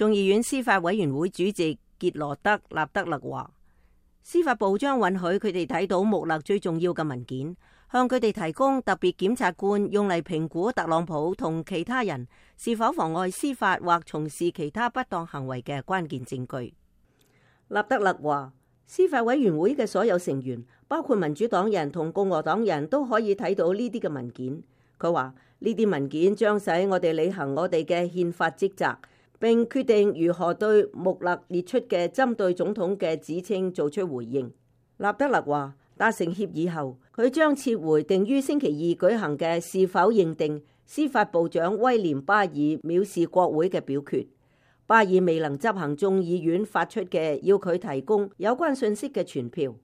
眾議院司法委員會主席傑羅德·納德勒話，司法部將允許佢哋睇到穆勒最重要嘅文件，向佢哋提供特別檢察官用嚟評估特朗普同其他人是否妨礙司法或從事其他不當行為嘅關鍵證據。納德勒話，司法委員會嘅所有成員，包括民主黨人同共和黨人都可以睇到呢啲嘅文件。佢話呢啲文件將使我哋履行我哋嘅憲法職責，並決定如何對穆勒列出嘅針對總統嘅指稱做出回應。納德勒話，達成協議後，佢將撤回定於星期二舉行嘅是否認定司法部長威廉巴爾藐視國會嘅表決。巴爾未能執行眾議院發出嘅要佢提供有關信息嘅傳票。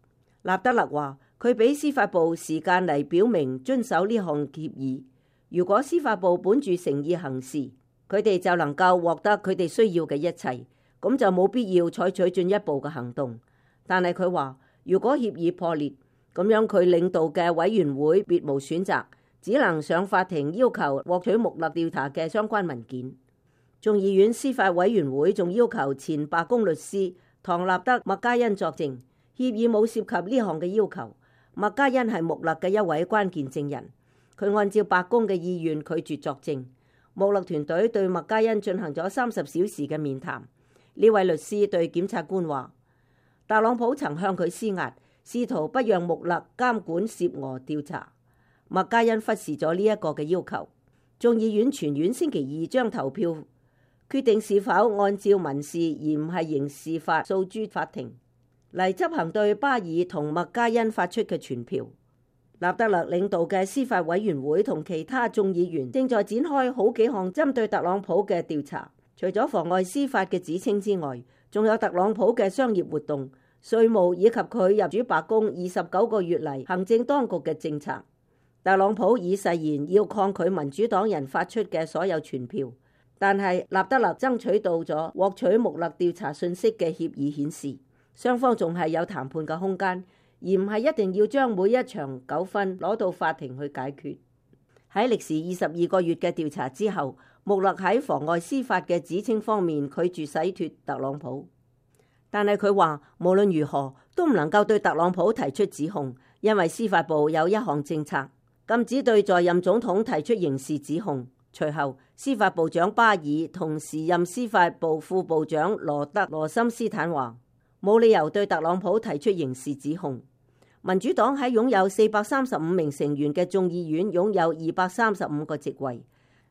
納德勒話，佢俾司法部時間嚟表明遵守呢項協議。如果司法部本住誠意行事，佢哋就能夠獲得佢哋需要嘅一切，咁就冇必要採取進一步嘅行動。但係佢話，如果協議破裂，咁樣佢領導嘅委員會別無選擇，只能上法庭要求獲取穆勒調查嘅相關文件。眾議院司法委員會仲要求前白宮律師唐納德·麥嘉恩作證，協議冇涉及呢項嘅要求。麥嘉恩係穆勒嘅一位關鍵證人，佢按照白宮嘅意願拒絕作證。穆勒團隊對麥嘉恩進行咗30小時嘅面談。呢位律師對檢察官話，特朗普曾向佢施壓，試圖不讓穆勒監管涉俄調查。麥嘉恩忽視咗呢一個嘅要求。眾議院全院星期二將投票決定是否按照民事而唔係刑事法訴諸法庭嚟執行對巴爾同麥嘉恩發出嘅傳票。納德勒領導嘅司法委員會同其他眾議員正在展開好幾項針對特朗普嘅調查，除咗妨礙司法嘅指稱之外，仲有特朗普嘅商業活動、稅務以及佢入主白宮29個月嚟行政當局嘅政策。特朗普已誓言要抗拒民主黨人發出嘅所有傳票。但係納德勒爭取到咗獲取穆勒調查信息嘅協議顯示，雙方仲係有談判嘅空間，而唔係一定要將每一場糾紛攞到法庭去解決。喺歷時22個月嘅調查之後，穆勒喺妨礙司法嘅指稱方面拒絕洗脫特朗普，但係佢話無論如何都唔能夠對特朗普提出指控，因為司法部有一項政策禁止對在任總統提出刑事指控。隨後，司法部長巴爾同時任司法部副部長羅德羅森斯坦話，冇理由對特朗普提出刑事指控。民主黨喺擁有435名成員嘅眾議院擁有235個席位，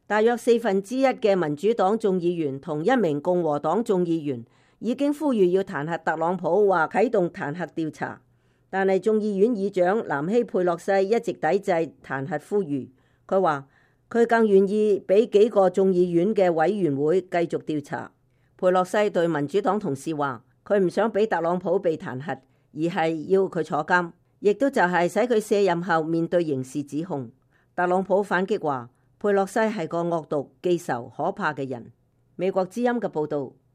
大約1/4嘅民主黨眾議員同1名共和黨眾議員已經呼籲要彈劾特朗普或啟動彈劾調查，但係眾議院議長南希佩洛西一直抵制彈劾呼籲。佢話佢更願意俾幾個眾議院嘅委員會繼續調查。佩洛西對民主黨同事話，佢唔想俾特朗普被彈劾，而係要佢坐監，亦都就係使佢卸任後面對刑事指控。特朗普反擊話，佩洛西係個惡毒、記仇、可怕嘅人。美國之音嘅報導。